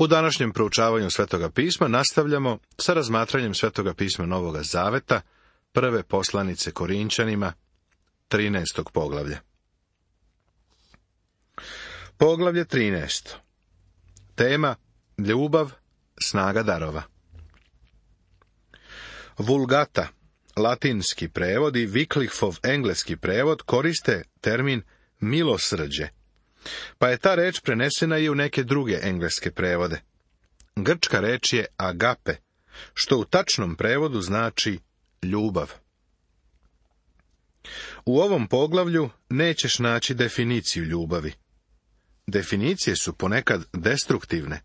U današnjem proučavanju Svetoga pisma nastavljamo sa razmatranjem Svetoga pisma Novoga Zaveta, prve poslanice Korinčanima, 13. poglavlja. Poglavlje 13. Tema: ljubav, snaga darova. Vulgata, latinski prevod, i Wyclifov engleski prevod koriste termin milosrđe, pa je ta reč prenesena i u neke druge engleske prevode. Grčka reč je agape, što u tačnom prevodu znači ljubav. U ovom poglavlju nećeš naći definiciju ljubavi. Definicije su ponekad destruktivne.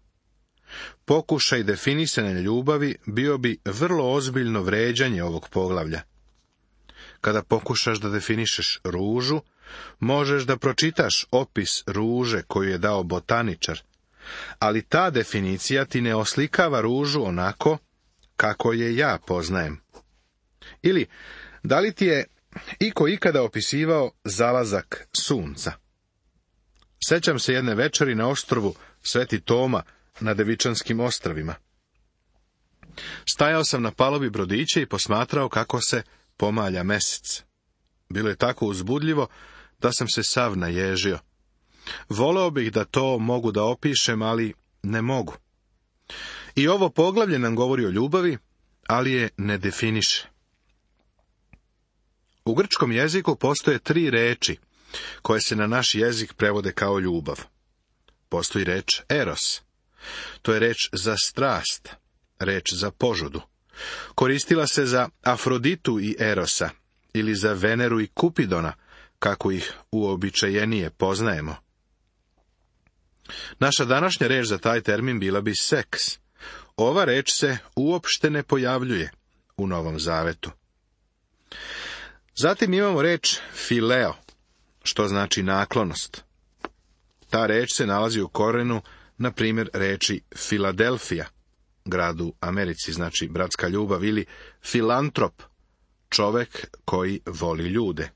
Pokušaj definisanja ljubavi bio bi vrlo ozbiljno vređanje ovog poglavlja. Kada pokušaš da definišeš ružu, možeš da pročitaš opis ruže koju je dao botaničar, ali ta definicija ti ne oslikava ružu onako kako je ja poznajem. Ili, da li ti je iko ikada opisivao zalazak sunca? Sećam se jedne večeri na ostrvu Sveti Toma na Devičanskim ostrvima. Stajao sam na palubi brodića i posmatrao kako se pomalja mesec. Bilo je tako uzbudljivo da sam se sav naježio. Voleo bih da to mogu da opišem, ali ne mogu. I ovo poglavlje nam govori o ljubavi, ali je ne definiše. U grčkom jeziku postoje 3 reči koje se na naš jezik prevode kao ljubav. Postoji reč eros. To je reč za strast, reč za požudu. Koristila se za Afroditu i Erosa, ili za Veneru i Kupidona, kako ih uobičajenije poznajemo. Naša današnja reč za taj termin bila bi seks. Ova reč se uopšte ne pojavljuje u Novom Zavetu. Zatim imamo reč fileo, što znači naklonost. Ta reč se nalazi u korenu, na primjer, reči Filadelfija, grad u Americi, znači bratska ljubav, ili filantrop, čovek koji voli ljude.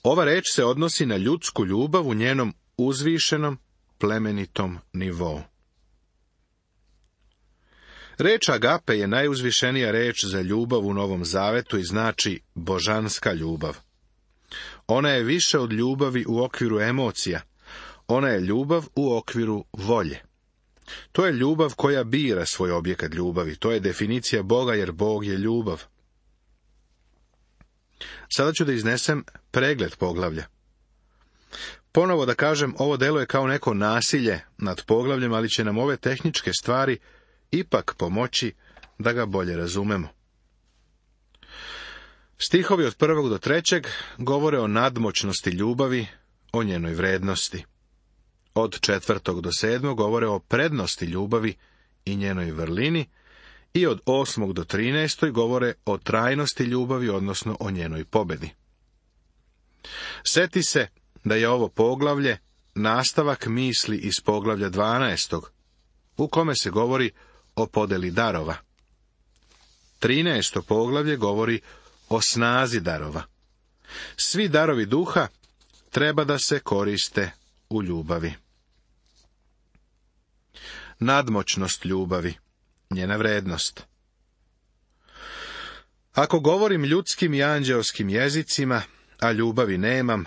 Ova reč se odnosi na ljudsku ljubav u njenom uzvišenom, plemenitom nivou. Reč agape je najuzvišenija reč za ljubav u Novom Zavetu i znači božanska ljubav. Ona je više od ljubavi u okviru emocija. Ona je ljubav u okviru volje. To je ljubav koja bira svoj objekat ljubavi. To je definicija Boga, jer Bog je ljubav. Sada ću da iznesem pregled poglavlja. Ponovo da kažem, ovo deluje kao neko nasilje nad poglavljem, ali će nam ove tehničke stvari ipak pomoći da ga bolje razumemo. Stihovi od 1. do 3. govore o nadmoćnosti ljubavi, o njenoj vrednosti. Od 4. do 7. govore o prednosti ljubavi i njenoj vrlini, i od 8. do 13. govore o trajnosti ljubavi, odnosno o njenoj pobedi. Seti se da je ovo poglavlje nastavak misli iz poglavlja 12. u kome se govori o podeli darova. 13. poglavlje govori o snazi darova. Svi darovi duha treba da se koriste u ljubavi. Nadmoćnost ljubavi, njena vrednost. Ako govorim ljudskim i anđeoskim jezicima, a ljubavi nemam,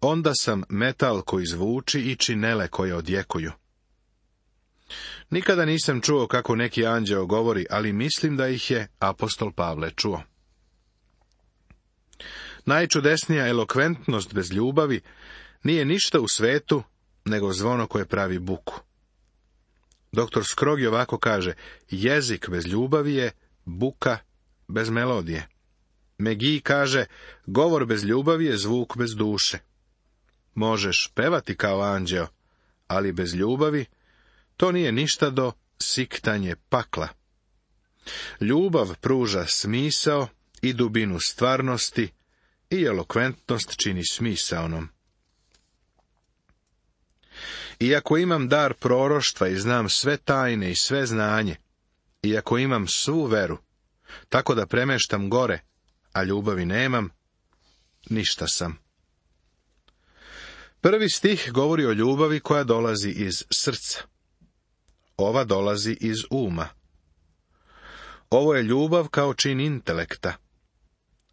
onda sam metal koji zvuči i činele koje odjekuju. Nikada nisam čuo kako neki anđeo govori, ali mislim da ih je apostol Pavle čuo. Najčudesnija elokventnost bez ljubavi nije ništa u svetu nego zvono koje pravi buku. Doktor Scroggie ovako kaže: jezik bez ljubavi je buka bez melodije. McGee kaže: govor bez ljubavi je zvuk bez duše. Možeš pevati kao anđeo, ali bez ljubavi to nije ništa do siktanje pakla. Ljubav pruža smisao i dubinu stvarnosti i elokventnost čini smisaonom. Iako imam dar proroštva i znam sve tajne i sve znanje, iako imam svu veru, tako da premeštam gore, a ljubavi nemam, ništa sam. Prvi stih govori o ljubavi koja dolazi iz srca. Ova dolazi iz uma. Ovo je ljubav kao čin intelekta.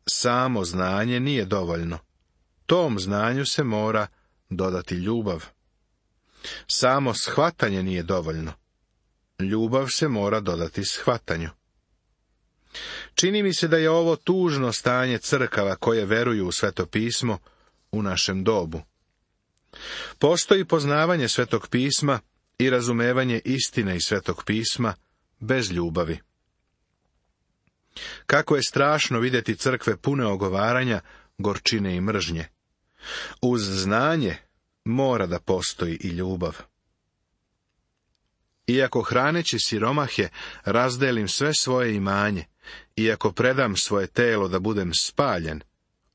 Samo znanje nije dovoljno. Tom znanju se mora dodati ljubav. Samo shvatanje nije dovoljno. Ljubav se mora dodati shvatanju. Čini mi se da je ovo tužno stanje crkava koje veruju u Sveto pismo u našem dobu. Postoji poznavanje Svetog pisma i razumevanje istine iz Svetog pisma bez ljubavi. Kako je strašno vidjeti crkve pune ogovaranja, gorčine i mržnje. Uz znanje mora da postoji i ljubav. Iako hraneći siromahe razdelim sve svoje imanje, iako predam svoje telo da budem spaljen,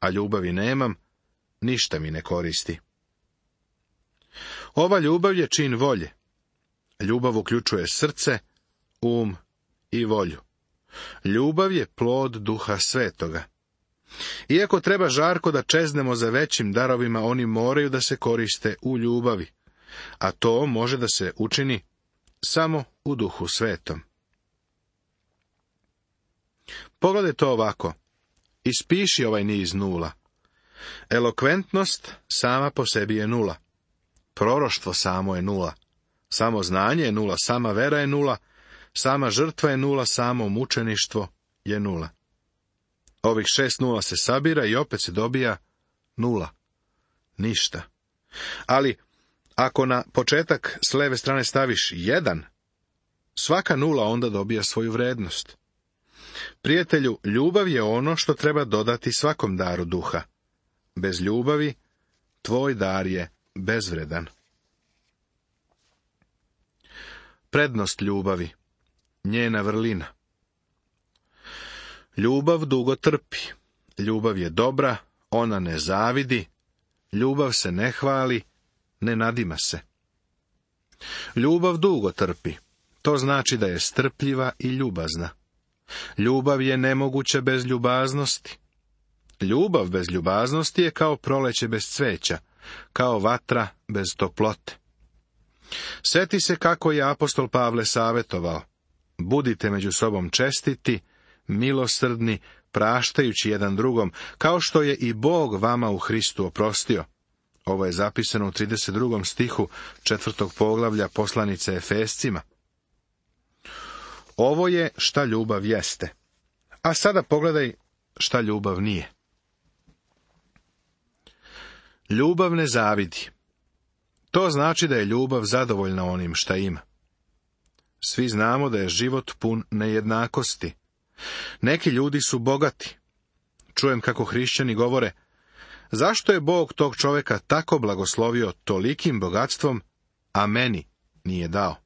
a ljubavi nemam, ništa mi ne koristi. Ova ljubav je čin volje. Ljubav uključuje srce, i volju. Ljubav je plod Duha Svetoga. Iako treba žarko da čeznemo za većim darovima, oni moraju da se koriste u ljubavi, a to može da se učini samo u Duhu Svetom. Pogledaj to ovako. Ispiši ovaj niz nula. Elokventnost sama po sebi je nula. Proroštvo samo je nula. Samo znanje je nula, sama vera je nula, sama žrtva je nula, samo mučeništvo je nula. Ovih 6 nula se sabira i opet se dobija nula. Ništa. Ali, ako na početak s leve strane staviš 1, svaka nula onda dobija svoju vrednost. Prijatelju, ljubav je ono što treba dodati svakom daru duha. Bez ljubavi, tvoj dar je bezvredan. Prednost ljubavi, njena vrlina. Ljubav dugo trpi. Ljubav je dobra, ona ne zavidi. Ljubav se ne hvali, ne nadima se. Ljubav dugo trpi. To znači da je strpljiva i ljubazna. Ljubav je nemoguća bez ljubaznosti. Ljubav bez ljubaznosti je kao proleće bez cveća, kao vatra bez toplote. Sjeti se kako je apostol Pavle savjetovao. Budite među sobom čestiti, milosrdni, praštajući jedan drugom, kao što je i Bog vama u Hristu oprostio. Ovo je zapisano u 32. stihu 4. poglavlja poslanice Efescima. Ovo je šta ljubav jeste. A sada pogledaj šta ljubav nije. Ljubav ne zavidi. To znači da je ljubav zadovoljna onim šta ima. Svi znamo da je život pun nejednakosti. Neki ljudi su bogati. Čujem kako hrišćani govore, zašto je Bog tog čovjeka tako blagoslovio tolikim bogatstvom, a meni nije dao?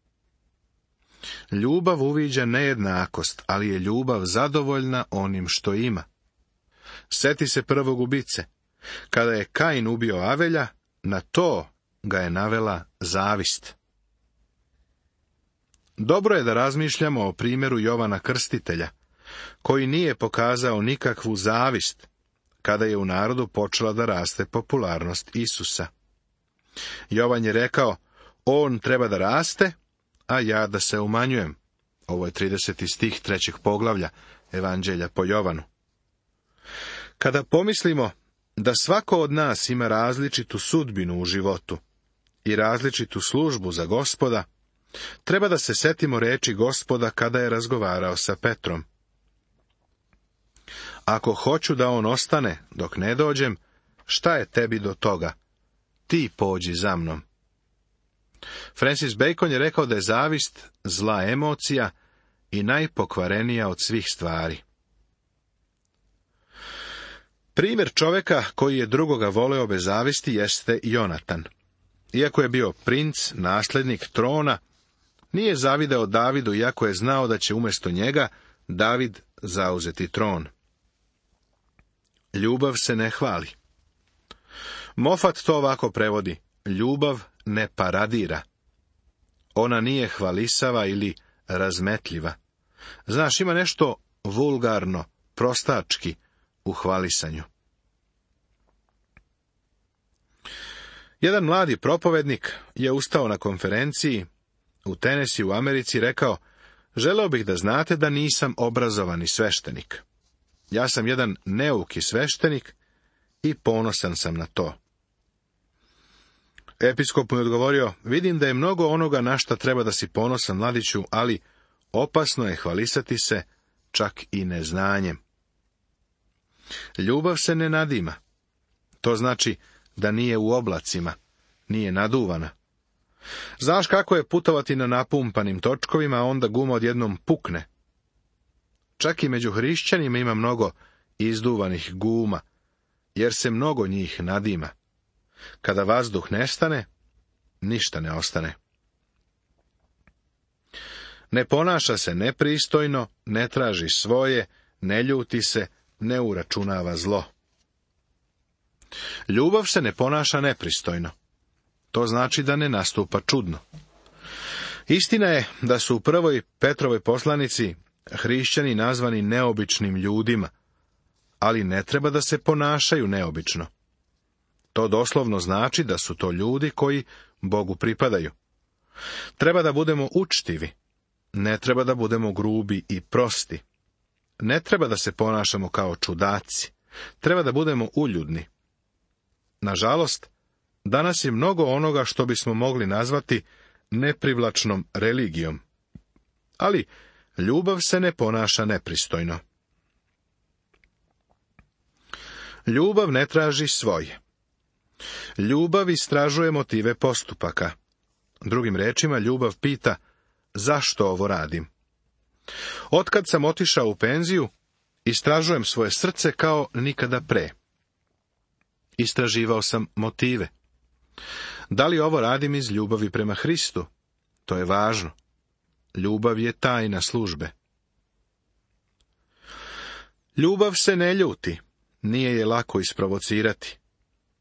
Ljubav uviđa nejednakost, ali je ljubav zadovoljna onim što ima. Seti se prvog ubice. Kada je Kain ubio Avelja, na to ga je navela zavist. Dobro je da razmišljamo o primjeru Jovana Krstitelja, koji nije pokazao nikakvu zavist, kada je u narodu počela da raste popularnost Isusa. Jovan je rekao, on treba da raste, a ja da se umanjujem. Ovo je 30. stih 3. poglavlja Evanđelja po Jovanu. Kada pomislimo da svako od nas ima različitu sudbinu u životu i različitu službu za Gospoda, treba da se setimo reči Gospoda kada je razgovarao sa Petrom. Ako hoću da on ostane dok ne dođem, šta je tebi do toga? Ti pođi za mnom. Francis Bacon je rekao da je zavist zla emocija i najpokvarenija od svih stvari. Primjer čovjeka koji je drugoga voleo bez zavisti jeste Jonatan. Iako je bio princ, nasljednik trona, nije zavideo Davidu, iako je znao da će umjesto njega David zauzeti tron. Ljubav se ne hvali. Moffat to ovako prevodi: ljubav ne paradira. Ona nije hvalisava ili razmetljiva. Znaš, ima nešto vulgarno, prostački u hvalisanju. Jedan mladi propovednik je ustao na konferenciji u Tennessee u Americi i rekao: želeo bih da znate da nisam obrazovani sveštenik. Ja sam jedan neuki sveštenik i ponosan sam na to. Episkop mu je odgovorio: vidim da je mnogo onoga na šta treba da si ponosan, mladiću, ali opasno je hvalisati se čak i neznanjem. Ljubav se ne nadima. To znači da nije u oblacima, nije naduvana. Znaš kako je putovati na napumpanim točkovima, a onda guma odjednom pukne. Čak i među hrišćanima ima mnogo izduvanih guma, jer se mnogo njih nadima. Kada vazduh nestane, ništa ne ostane. Ne ponaša se nepristojno, ne traži svoje, ne ljuti se, ne uračunava zlo. Ljubav se ne ponaša nepristojno. To znači da ne nastupa čudno. Istina je da su u prvoj Petrovoj poslanici hrišćani nazvani neobičnim ljudima, ali ne treba da se ponašaju neobično. To doslovno znači da su to ljudi koji Bogu pripadaju. Treba da budemo učtivi, ne treba da budemo grubi i prosti. Ne treba da se ponašamo kao čudaci, treba da budemo uljudni. Nažalost, danas je mnogo onoga što bismo mogli nazvati neprivlačnom religijom. Ali ljubav se ne ponaša nepristojno. Ljubav ne traži svoje. Ljubav istražuje motive postupaka. Drugim rečima, ljubav pita: zašto ovo radim? Otkad sam otišao u penziju, istražujem svoje srce kao nikada pre. Istraživao sam motive. Da li ovo radim iz ljubavi prema Hristu? To je važno. Ljubav je tajna službe. Ljubav se ne ljuti, nije je lako isprovocirati.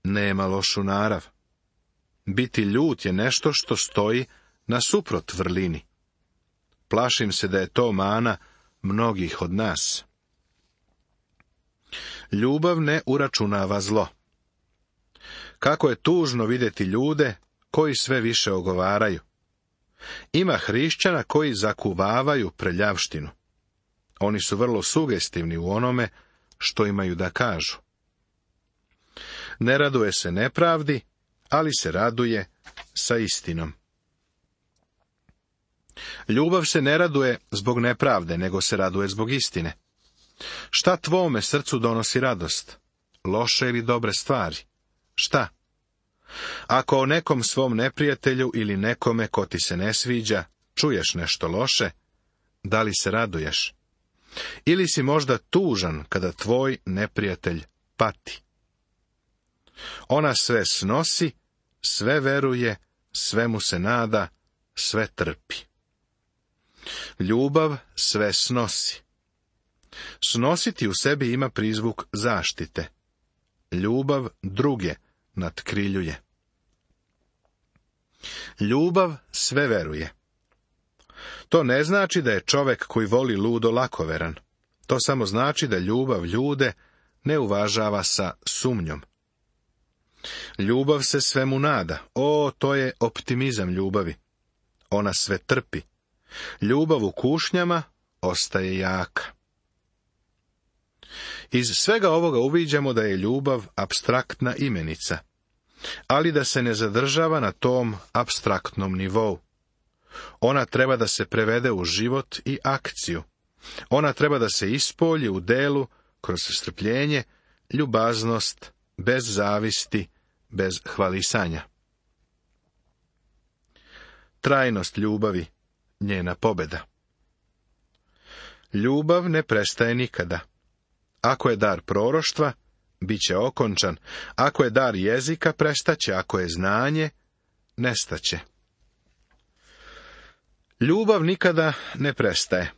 Nema lošu narav. Biti ljut je nešto što stoji nasuprot vrlini. Plašim se da je to mana mnogih od nas. Ljubav ne uračunava zlo. Kako je tužno vidjeti ljude koji sve više ogovaraju. Ima hrišćana koji zakuvavaju prljavštinu. Oni su vrlo sugestivni u onome što imaju da kažu. Ne raduje se nepravdi, ali se raduje sa istinom. Ljubav se ne raduje zbog nepravde, nego se raduje zbog istine. Šta tvome srcu donosi radost? Loše ili dobre stvari? Šta? Ako o nekom svom neprijatelju ili nekome ko ti se ne sviđa čuješ nešto loše, da li se raduješ? Ili si možda tužan kada tvoj neprijatelj pati? Ona sve snosi, sve veruje, sve mu se nada, sve trpi. Ljubav sve snosi. Snositi u sebi ima prizvuk zaštite. Ljubav druge natkriljuje. Ljubav sve veruje. To ne znači da je čovek koji voli ludo lakoveran. To samo znači da ljubav ljude ne uvažava sa sumnjom. Ljubav se svemu nada. O, to je optimizam ljubavi. Ona sve trpi. Ljubav u kušnjama ostaje jaka. Iz svega ovoga uviđamo da je ljubav apstraktna imenica, ali da se ne zadržava na tom apstraktnom nivou. Ona treba da se prevede u život i akciju. Ona treba da se ispolji u delu kroz strpljenje, ljubaznost, bez zavisti, bez hvalisanja. Trajnost ljubavi, njena pobjeda. Ljubav ne prestaje nikada. Ako je dar proroštva, bit će okončan. Ako je dar jezika, prestaće. Ako je znanje, nestaće. Ljubav nikada ne prestaje.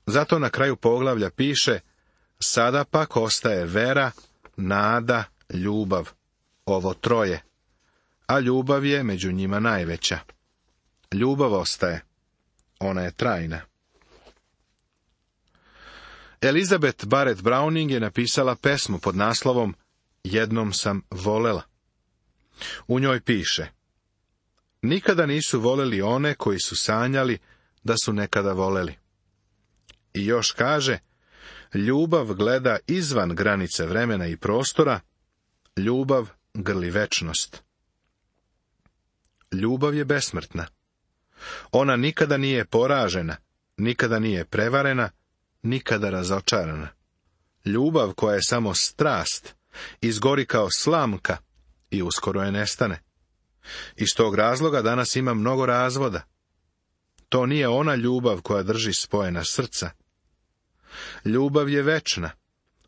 Zato na kraju poglavlja piše: sada pak ostaje vera, nada, ljubav. Ovo troje. A ljubav je među njima najveća. Ljubav ostaje. Ona je trajna. Elizabeth Barrett Browning je napisala pesmu pod naslovom Jednom sam volela. U njoj piše: nikada nisu voleli one koji su sanjali da su nekada voleli. I još kaže: ljubav gleda izvan granice vremena i prostora, ljubav grli večnost. Ljubav je besmrtna. Ona nikada nije poražena, nikada nije prevarena, nikada razočarana. Ljubav koja je samo strast, izgori kao slamka i uskoro je nestane. Iz tog razloga danas ima mnogo razvoda. To nije ona ljubav koja drži spojena srca. Ljubav je večna,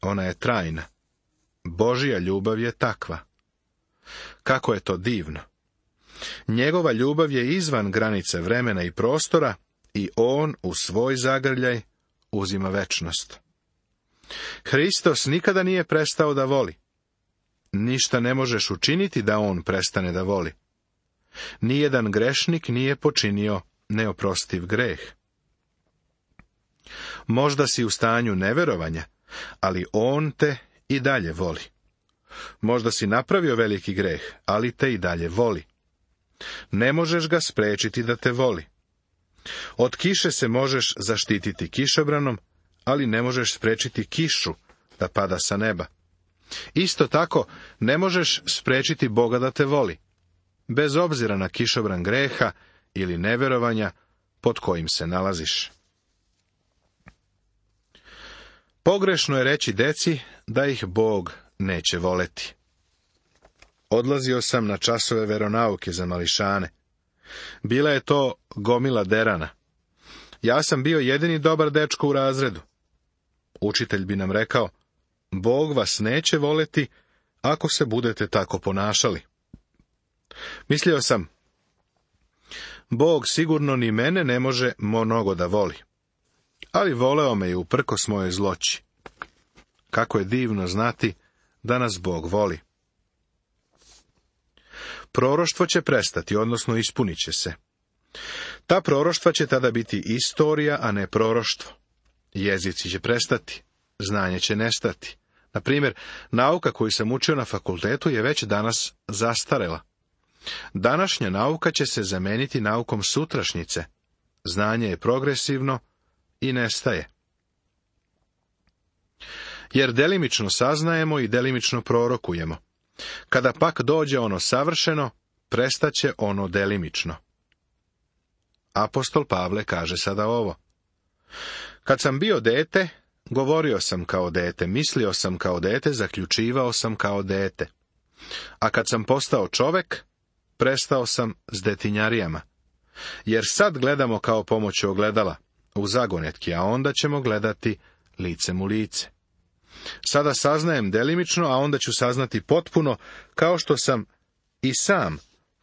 ona je trajna. Božja ljubav je takva. Kako je to divno! Njegova ljubav je izvan granice vremena i prostora i on u svoj zagrljaj uzima večnost. Hristos nikada nije prestao da voli. Ništa ne možeš učiniti da on prestane da voli. Nijedan grešnik nije počinio neoprostiv greh. Možda si u stanju neverovanja, ali on te i dalje voli. Možda si napravio veliki greh, ali te i dalje voli. Ne možeš ga spriječiti da te voli. Od kiše se možeš zaštititi kišobranom, ali ne možeš spriječiti kišu da pada sa neba. Isto tako, ne možeš spriječiti Boga da te voli, bez obzira na kišobran greha ili neverovanja pod kojim se nalaziš. Pogrešno je reći deci da ih Bog neće voleti. Odlazio sam na časove veronauke za mališane. Bila je to gomila derana. Ja sam bio jedini dobar dečko u razredu. Učitelj bi nam rekao: Bog vas neće voleti ako se budete tako ponašali. Mislio sam: Bog sigurno ni mene ne može mnogo da voli. Ali voleo me i uprkos mojoj zloći. Kako je divno znati da nas Bog voli. Proroštvo će prestati, odnosno ispunit će se. Ta proroštva će tada biti istorija, a ne proroštvo. Jezici će prestati, znanje će nestati. Na primjer, nauka koju sam učio na fakultetu je već danas zastarela. Današnja nauka će se zameniti naukom sutrašnjice. Znanje je progresivno i nestaje. Jer delimično saznajemo i delimično prorokujemo. Kada pak dođe ono savršeno, prestaće ono delimično. Apostol Pavle kaže sada ovo: kad sam bio dete, govorio sam kao dete, mislio sam kao dete, zaključivao sam kao dete. A kad sam postao čovek, prestao sam s detinjarijama. Jer sad gledamo kao pomoću ogledala, u zagonetki, a onda ćemo gledati licem u lice. Sada saznajem delimično, a onda ću saznati potpuno, kao što sam i sam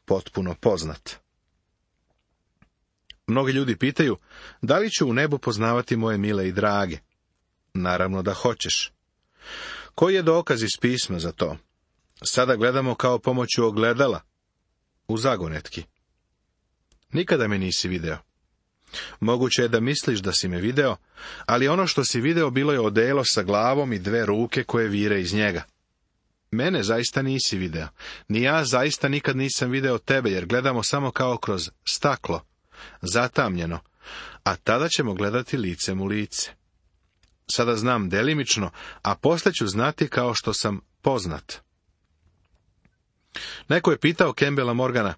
potpuno poznat. Mnogi ljudi pitaju: da li ću u nebu poznavati moje mile i drage? Naravno da hoćeš. Koji je dokaz iz pisma za to? Sada gledamo kao pomoću ogledala, u zagonetki. Nikada me nisi video. Moguće je da misliš da si me video, ali ono što si video bilo je odelo sa glavom i 2 ruke koje vire iz njega. Mene zaista nisi video. Ni ja zaista nikad nisam video tebe, jer gledamo samo kao kroz staklo, zatamnjeno, a tada ćemo gledati licem u lice. Sada znam delimično, a poslije ću znati kao što sam poznat. Neko je pitao Campbella Morgana: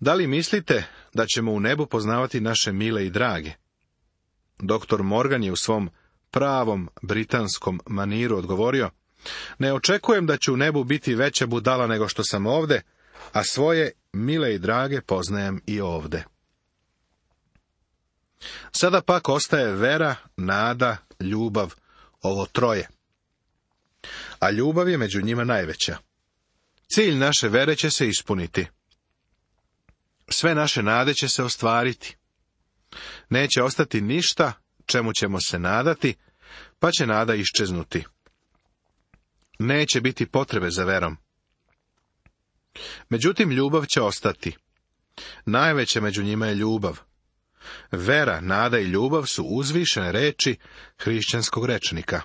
da li mislite da ćemo u nebu poznavati naše mile i drage? Doktor Morgan je u svom pravom britanskom maniru odgovorio: ne očekujem da ću u nebu biti veća budala nego što sam ovde, a svoje mile i drage poznajem i ovde. Sada pak ostaje vera, nada, ljubav, ovo troje. A ljubav je među njima najveća. Cilj naše vere će se ispuniti. Sve naše nade će se ostvariti. Neće ostati ništa čemu ćemo se nadati, pa će nada iščeznuti. Neće biti potrebe za verom. Međutim, ljubav će ostati. Najveća među njima je ljubav. Vera, nada i ljubav su uzvišene reči hrišćanskog rečnika.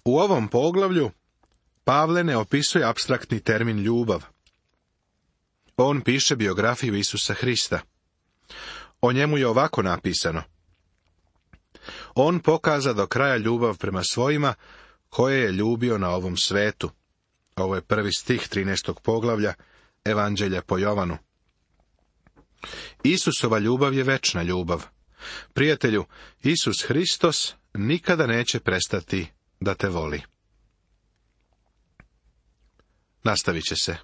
U ovom poglavlju Pavle ne opisuje apstraktni termin ljubav. On piše biografiju Isusa Hrista. O njemu je ovako napisano: On pokaza do kraja ljubav prema svojima, koje je ljubio na ovom svetu. Ovo je 1. stih 13. poglavlja Evanđelja po Jovanu. Isusova ljubav je večna ljubav. Prijatelju, Isus Hristos nikada neće prestati da te voli. Nastavit će se.